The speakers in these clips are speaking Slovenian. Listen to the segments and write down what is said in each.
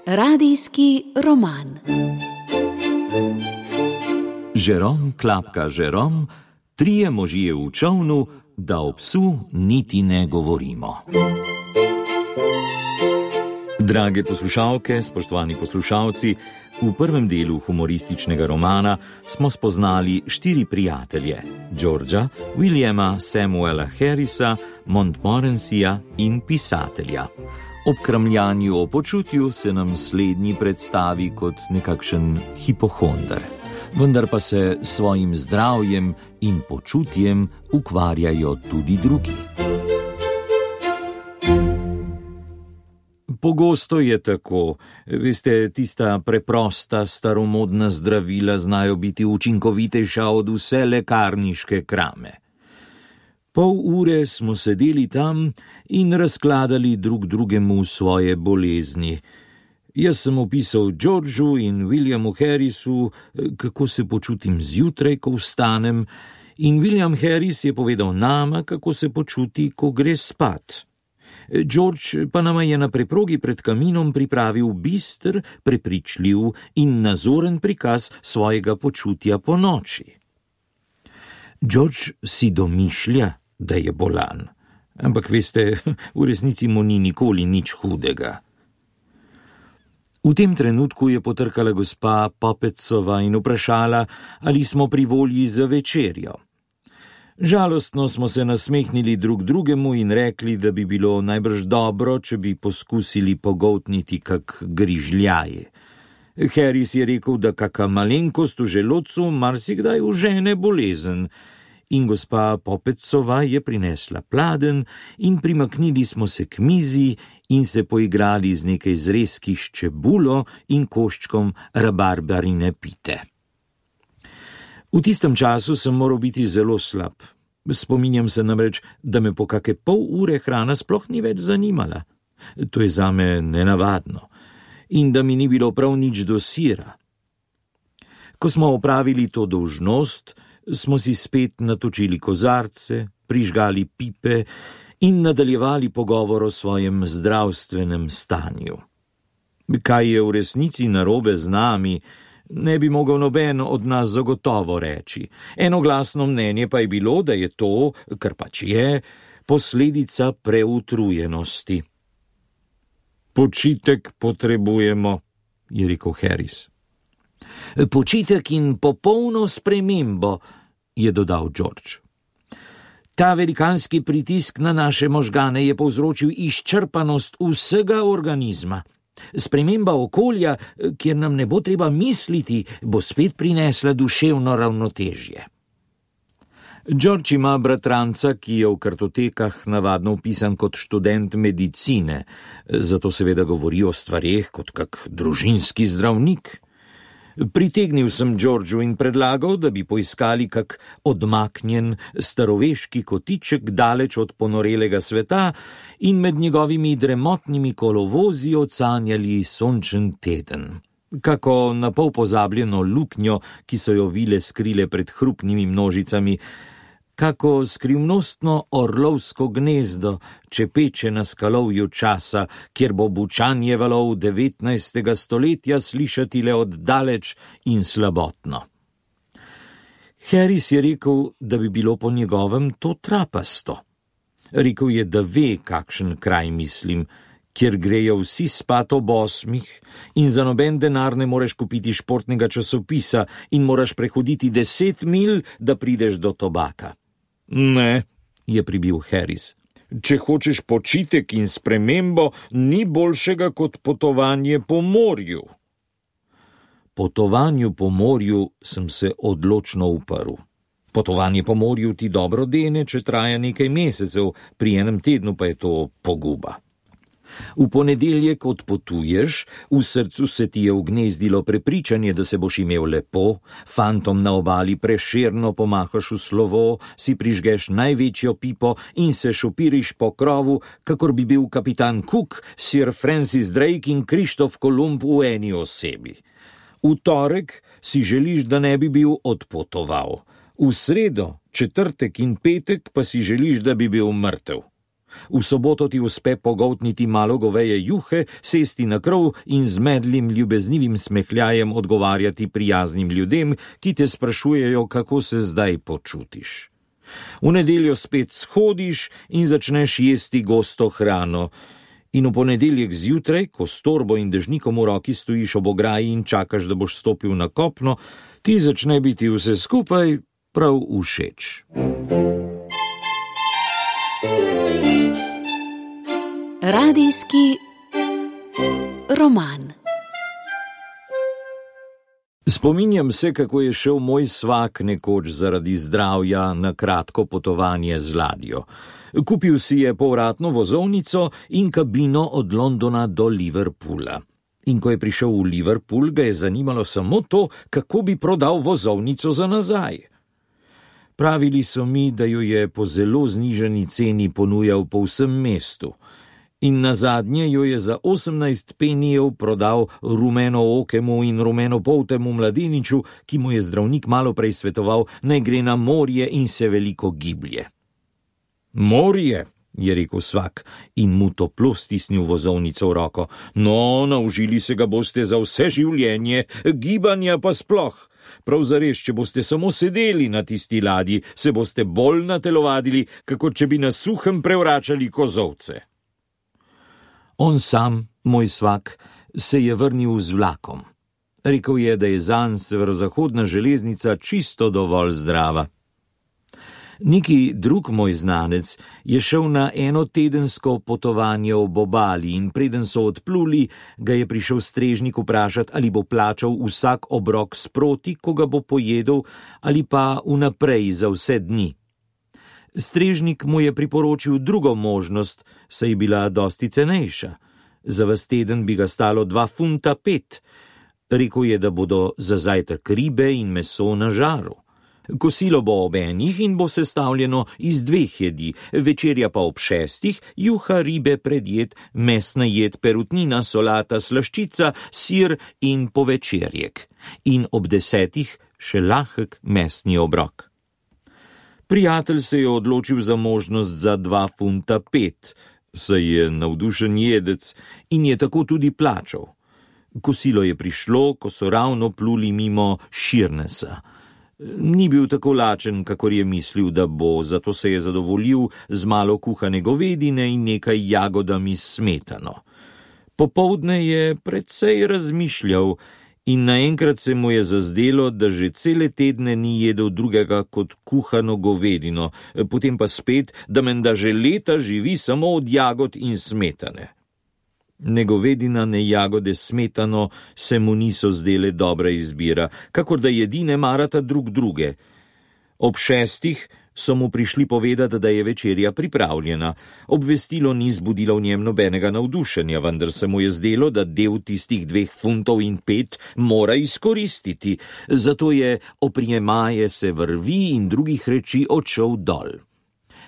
Radijski roman. Žerom klapka Žerom, trije možje v čolnu, da o psu niti ne govorimo. Drage poslušalke, spoštovani poslušalci, v prvem delu humorističnega romana smo spoznali 4 prijatelje: Georgea, Williama Samuela Harrisa, Montmorencyja in pisatelja. Ob kramljanju o počutju se nam slednji predstavi kot nekakšen hipohonder, vendar pa se s svojim zdravjem in počutjem ukvarjajo tudi drugi. Pogosto je tako. Veste, tista preprosta, staromodna zdravila znajo biti učinkovitejša od vse lekarniške krame. Pol ure smo sedeli tam in razkladali drug drugemu svoje bolezni. Jaz sem opisal Georgeu in Williamu Harrisu, kako se počutim zjutraj, ko vstanem, in William Harris je povedal nama, kako se počuti, ko gre spat. George pa nama je na preprogi pred kaminom pripravil bister, prepričljiv in nazoren prikaz svojega počutja po noči. George si domišlja, da je bolan, ampak veste, v resnici mu ni nikoli nič hudega. V tem trenutku je potrkala gospa Popetsova in vprašala, ali smo pri volji za večerjo. Žalostno smo se nasmehnili drug drugemu in rekli, da bi bilo najbrž dobro, če bi poskusili pogoltniti kak grižljaj. Harris je rekel, da kaka malenkost v želodcu marsikdaj užene bolezen, in gospa Popetsova je prinesla pladenj in primaknili smo se k mizi in se poigrali z nekaj zrezki s čebulo in koščkom rabarbarine pite. V tistem času sem moral biti zelo slab. Spominjam se namreč, da me po kake pol ure hrana sploh ni več zanimala. To je zame nenavadno. In da mi ni bilo prav nič do sira. Ko smo opravili to dolžnost, smo si spet natočili kozarce, prižgali pipe in nadaljevali pogovor o svojem zdravstvenem stanju. Kaj je v resnici narobe z nami, ne bi mogel noben od nas zagotovo reči. Enoglasno mnenje pa je bilo, da je to, kar pač je, posledica preutrujenosti. Počitek potrebujemo, je rekel Harris. Počitek in popolno spremembo, je dodal George. Ta velikanski pritisk na naše možgane je povzročil izčrpanost vsega organizma. Sprememba okolja, kjer nam ne bo treba misliti, bo spet prinesla duševno ravnotežje. George ima bratranca, ki je v kartotekah navadno vpisan kot študent medicine, zato seveda govori o stvareh kot kak družinski zdravnik. Pritegnil sem Georgeu in predlagal, da bi poiskali kak odmaknjen staroveški kotiček daleč od ponorelega sveta in med njegovimi dremotnimi kolovozi ocanjali sončen teden. Kako napol pozabljeno luknjo, ki so jo vile skrile pred hrupnimi množicami, kako skrivnostno orlovsko gnezdo čepeče na skalovju časa, kjer bo bučanje valov 19. stoletja slišati le oddaleč in slabotno. Harris je rekel, da bi bilo po njegovem to trapasto. Rekel je, da ve, kakšen kraj mislim, kjer grejo vsi spat ob 8 in za noben denar ne moreš kupiti športnega časopisa in moraš prehoditi 10 milj, da prideš do tobaka. Ne, je pribil Harris. Če hočeš počitek in spremembo, ni boljšega kot potovanje po morju. Potovanju po morju sem se odločno uprl. Potovanje po morju ti dobro dene, če traja nekaj mesecev, pri enem tednu pa je to poguba. V ponedeljek odpotuješ, v srcu se ti je ugnezdilo prepričanje, da se boš imel lepo, fantom na obali prešerno pomahaš v slovo, si prižgeš največjo pipo in se šopiriš po krovu, kakor bi bil kapitan Cook, Sir Francis Drake in Krištof Kolumb v eni osebi. V torek si želiš, da ne bi bil odpotoval. V sredo, četrtek in petek pa si želiš, da bi bil mrtev. V soboto ti uspe pogoltniti malo goveje juhe, sesti na krov in z medlim ljubeznivim smehljajem odgovarjati prijaznim ljudem, ki te sprašujejo, kako se zdaj počutiš. V nedeljo spet shodiš in začneš jesti gosto hrano. In v ponedeljek zjutraj, ko s torbo in dežnikom v roki stojiš ob ograji in čakaš, da boš stopil na kopno, ti začne biti vse skupaj prav všeč. Radijski roman. Spominjam se, kako je šel moj svak nekoč zaradi zdravja na kratko potovanje z ladjo. Kupil si je povratno vozovnico in kabino od Londona do Liverpoola. In ko je prišel v Liverpool, ga je zanimalo samo to, kako bi prodal vozovnico za nazaj. Pravili so mi, da jo je po zelo znižani ceni ponujal po vsem mestu. In nazadnje jo je za 18 penijev prodal rumenookemu in rumenopoltemu mladeniču, ki mu je zdravnik malo prej svetoval, naj gre na morje in se veliko giblje. Morje, je rekel svak in mu toplo stisnil vozovnico v roko. No, naužili se ga boste za vse življenje, gibanja pa sploh. Prav zares, če boste samo sedeli na tisti ladji, se boste bolj natelovadili, kako če bi na suhem prevračali kozovce. On sam, moj svak, se je vrnil z vlakom. Rekel je, da je zanj severozahodna železnica čisto dovolj zdrava. Neki drug moj znanec je šel na enotedensko potovanje ob obali in preden so odpluli, ga je prišel strežnik vprašati, ali bo plačal vsak obrok sproti, ko ga bo pojedel, ali pa vnaprej za vse dni. Strežnik mu je priporočil drugo možnost, saj je bila dosti cenejša. Za ves teden bi ga stalo 2,5 funta. Rekel je, da bodo za zajtrk ribe in meso na žaru. Kosilo bo ob 1 in bo sestavljeno iz 2 jedi, večerja pa ob 6, juha, ribe, predjed, mesna jed, perutnina, solata, slaščica, sir in povečerjek. In ob 10 še lahek mesni obrok. Prijatelj se je odločil za možnost za 2,5 funta, saj je navdušen jedec in je tako tudi plačal. Kosilo je prišlo, ko so ravno pluli mimo Sheernessa. Ni bil tako lačen, kakor je mislil, da bo, zato se je zadovoljil z malo kuhane govedine in nekaj jagodami s smetano. Popoldne je precej razmišljal in naenkrat se mu je zazdelo, da že cele tedne ni jedel drugega kot kuhano govedino, potem pa spet, da menda že leta živi samo od jagod in smetane. Ne govedina, ne jagode s smetano se mu niso zdele dobra izbira, kakor da jedi ne marata drug druge. Ob 6 so mu prišli povedati, da je večerja pripravljena. Obvestilo ni zbudilo v njem nobenega navdušenja, vendar se mu je zdelo, da del tistih 2,5 funta mora izkoristiti, zato je oprijemaje se vrvi in drugih reči odšel dol.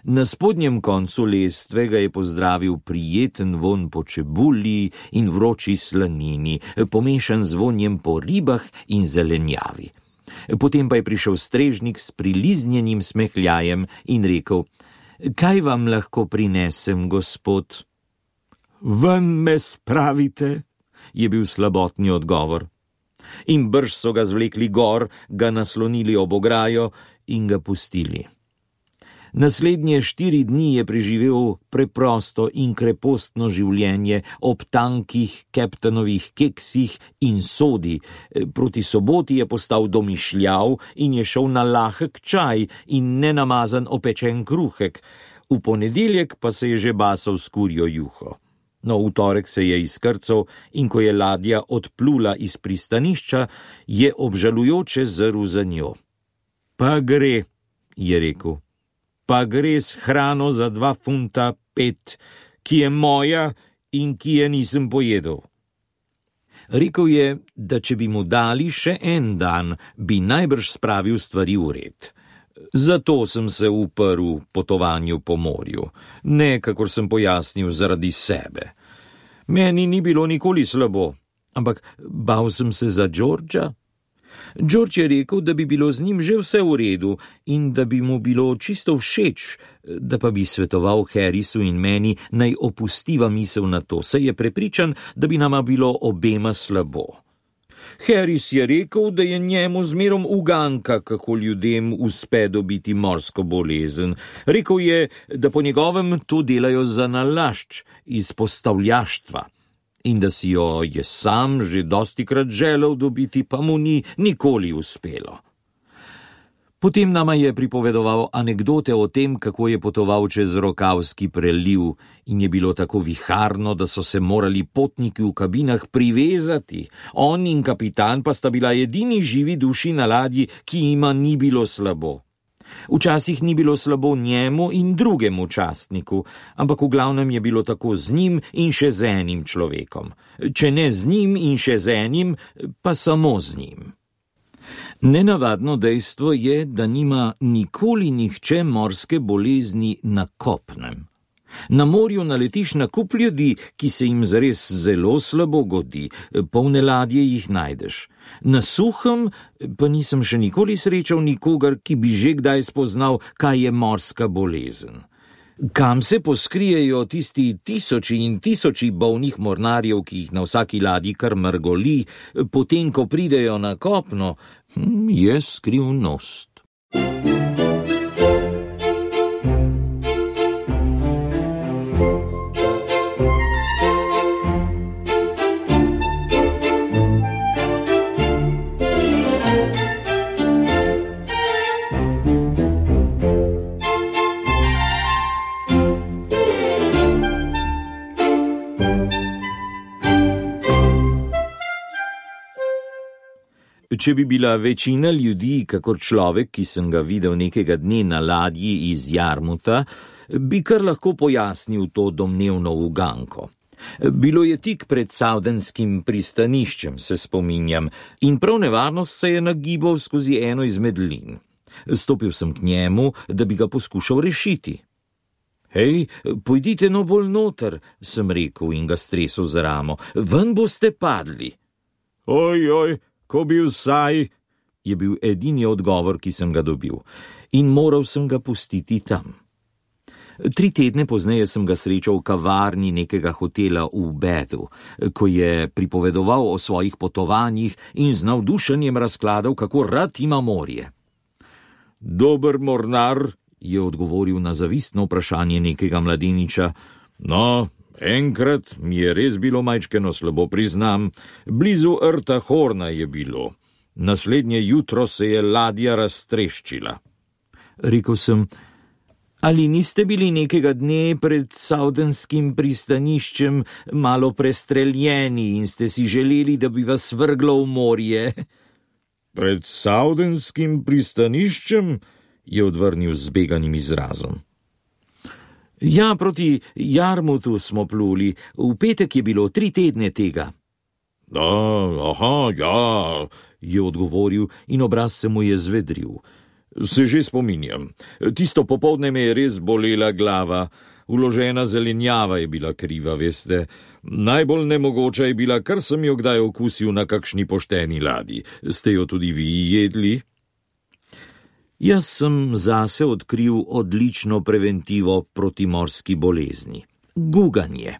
Na spodnjem koncu lestve ga je pozdravil prijeten vonj po čebuli in vroči slanini, pomešan z vonjem po ribah in zelenjavi. Potem pa je prišel strežnik s priliznjenim smehljajem in rekel: Kaj vam lahko prinesem, gospod? Ven me spravite, je bil slabotni odgovor. In brž so ga zvlekli gor, ga naslonili ob ograjo in ga pustili. Naslednje 4 dni je preživel preprosto in krepostno življenje ob tankih Captainovih keksih in sodi. Proti soboti je postal domišljav in je šel na lahek čaj in nenamazan opečen kruhek. V ponedeljek pa se je že basal s kurjo juho. No, v torek se je izkrcal in ko je ladja odplula iz pristanišča, je obžalujoče zrl za njo. Pa gre, je rekel. Pa gre s hrano za 2,5 funta, ki je moja in ki je nisem pojedel. Rekel je, da če bi mu dali še en dan, bi najbrž spravil stvari v red. Zato sem se uprl potovanju po morju, ne, kakor sem pojasnil, zaradi sebe. Meni ni bilo nikoli slabo, ampak bal sem se za Georgea. George je rekel, da bi bilo z njim že vse v redu in da bi mu bilo čisto všeč, da pa bi svetoval Harrisu in meni, naj opustiva misel na to, saj je prepričan, da bi nama bilo obema slabo. Harris je rekel, da je njemu zmerom uganka, kako ljudem uspe dobiti morsko bolezen. Rekel je, da po njegovem to delajo za nalašč, iz postavljaštva. In da si jo je sam že dostikrat želel dobiti, pa mu ni nikoli uspelo. Potem nama je pripovedoval anekdote o tem, kako je potoval čez Rokavski preliv in je bilo tako viharno, da so se morali potniki v kabinah privezati. On in kapitan pa sta bila edini živi duši na ladji, ki jima ni bilo slabo. Včasih ni bilo slabo njemu in drugemu častniku, ampak v glavnem je bilo tako z njim in še z enim človekom. Če ne z njim in še z enim, pa samo z njim. Nenavadno dejstvo je, da nima nikoli nihče morske bolezni na kopnem. Na morju naletiš na kup ljudi, ki se jim zares zelo slabo godi, polne ladje jih najdeš. Na suhem pa nisem še nikoli srečal nikogar, ki bi že kdaj spoznal, kaj je morska bolezen. Kam se poskrijejo tisti tisoči in tisoči bolnih mornarjev, ki jih na vsaki ladji kar mrgoli, potem ko pridejo na kopno, je skrivnost. Če bi bila večina ljudi kakor človek, ki sem ga videl nekega dne na ladji iz Jarmuta, bi kar lahko pojasnil to domnevno uganko. Bilo je tik pred Southamptonskim pristaniščem, se spominjam, in prav nevarnost se je nagibal skozi eno izmed lin. Stopil sem k njemu, da bi ga poskušal rešiti. Hej, pojdite no bolj noter, sem rekel in ga stresel za ramo, ven boste padli. Oj, ko bi vsaj, je bil edini odgovor, ki sem ga dobil, in moral sem ga pustiti tam. 3 tedne pozneje sem ga srečal v kavarni nekega hotela v Bethu, ko je pripovedoval o svojih potovanjih in z navdušenjem razkladal, kako rad ima morje. Dober mornar, je odgovoril na zavistno vprašanje nekega mladeniča. No, enkrat mi je res bilo majčkeno slabo, priznam, blizu rta Horna je bilo. Naslednje jutro se je ladja raztreščila. Rekel sem, ali niste bili nekega dne pred Southamptonskim pristaniščem malo prestreljeni in ste si želeli, da bi vas vrglo v morje? Pred Southamptonskim pristaniščem, je odvrnil z zbeganim izrazom. Ja, proti Jarmutu smo pluli, v petek je bilo 3 tedne tega. Ja, je odgovoril in obraz se mu je zvedril. Se že spominjam, tisto popoldne me je res bolela glava, vložena zelenjava je bila kriva, veste. Najbolj nemogoča je bila, kar sem jo kdaj okusil na kakšni pošteni ladji. Ste jo tudi vi jedli? Jaz sem zase odkril odlično preventivo proti morski bolezni. Guganje.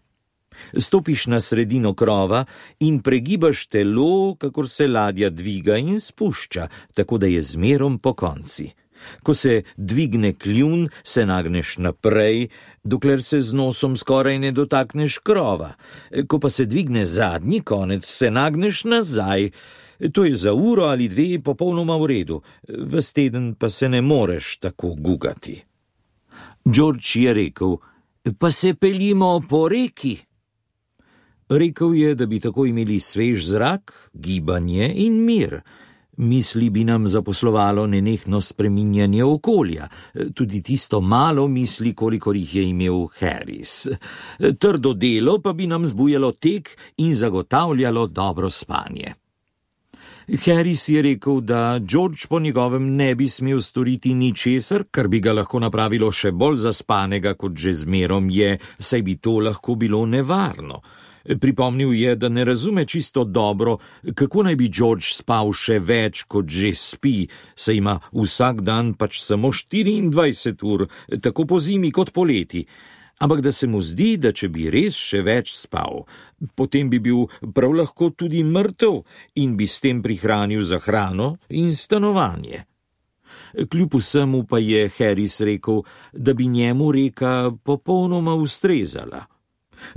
Stopiš na sredino krova in pregibaš telo, kakor se ladja dviga in spušča, tako da je zmerom po konci. Ko se dvigne kljun, se nagneš naprej, dokler se z nosom skoraj ne dotakneš krova. Ko pa se dvigne zadnji konec, se nagneš nazaj. To je za uro ali 2 popolnoma v redu, ves teden pa se ne moreš tako gugati. George je rekel, pa se peljimo po reki. Rekel je, da bi tako imeli svež zrak, gibanje in mir. Misli bi nam zaposlovalo nenehno spreminjanje okolja, tudi tisto malo misli, kolikor jih je imel Harris. Trdo delo pa bi nam zbujalo tek in zagotavljalo dobro spanje. Harris je rekel, da George po njegovem ne bi smel storiti ničesar, kar bi ga lahko napravilo še bolj zaspanega, kot že zmerom je, saj bi to lahko bilo nevarno. Pripomnil je, da ne razume čisto dobro, kako naj bi George spal še več, kot že spi, saj ima vsak dan pač samo 24 ur, tako po zimi kot poleti. Ampak da se mu zdi, da če bi res še več spal, potem bi bil prav lahko tudi mrtev in bi s tem prihranil za hrano in stanovanje. Kljub vsemu pa je Harris rekel, da bi njemu reka popolnoma ustrezala.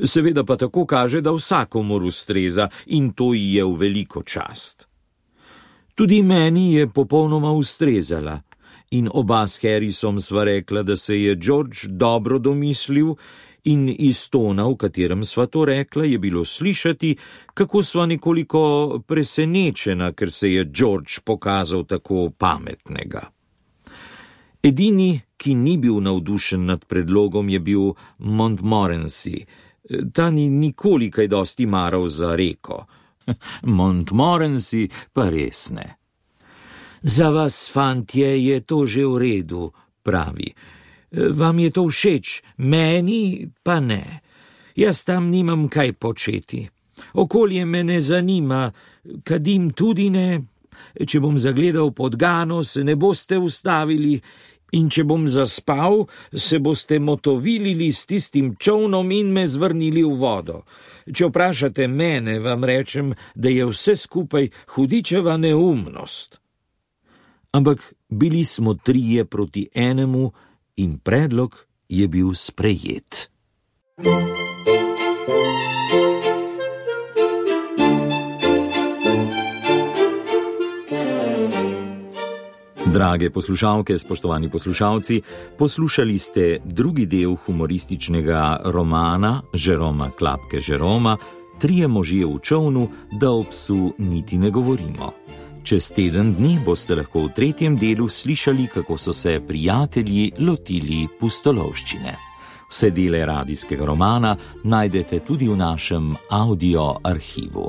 Seveda pa tako kaže, da vsakomur ustreza in to ji je v veliko čast. Tudi meni je popolnoma ustrezala. In oba s Harrisom sva rekla, da se je George dobro domislil in iz tona, v katerem sva to rekla, je bilo slišati, kako sva nekoliko presenečena, ker se je George pokazal tako pametnega. Edini, ki ni bil navdušen nad predlogom, je bil Montmorency. Ta ni nikoli kaj dosti maral za reko. Montmorency pa res ne. Za vas, fantje, je to že v redu, pravi. Vam je to všeč, meni pa ne. Jaz tam nimam kaj početi. Okolje me ne zanima, kadim tudi ne. Če bom zagledal podgano, se ne boste ustavili, in če bom zaspal, se boste motovilili s tistim čolnom in me zvrnili v vodo. Če vprašate mene, vam rečem, da je vse skupaj hudičeva neumnost. Ampak bili smo 3 proti 1 in predlog je bil sprejet. Drage poslušalke, spoštovani poslušalci, poslušali ste drugi del humorističnega romana Jeroma Klapke Jeroma 3 možje v čolnu, da o psu niti ne govorimo. Čez teden dni boste lahko v 3. delu slišali, kako so se prijatelji lotili pustolovščine. Vse dele radijskega romana najdete tudi v našem audio arhivu.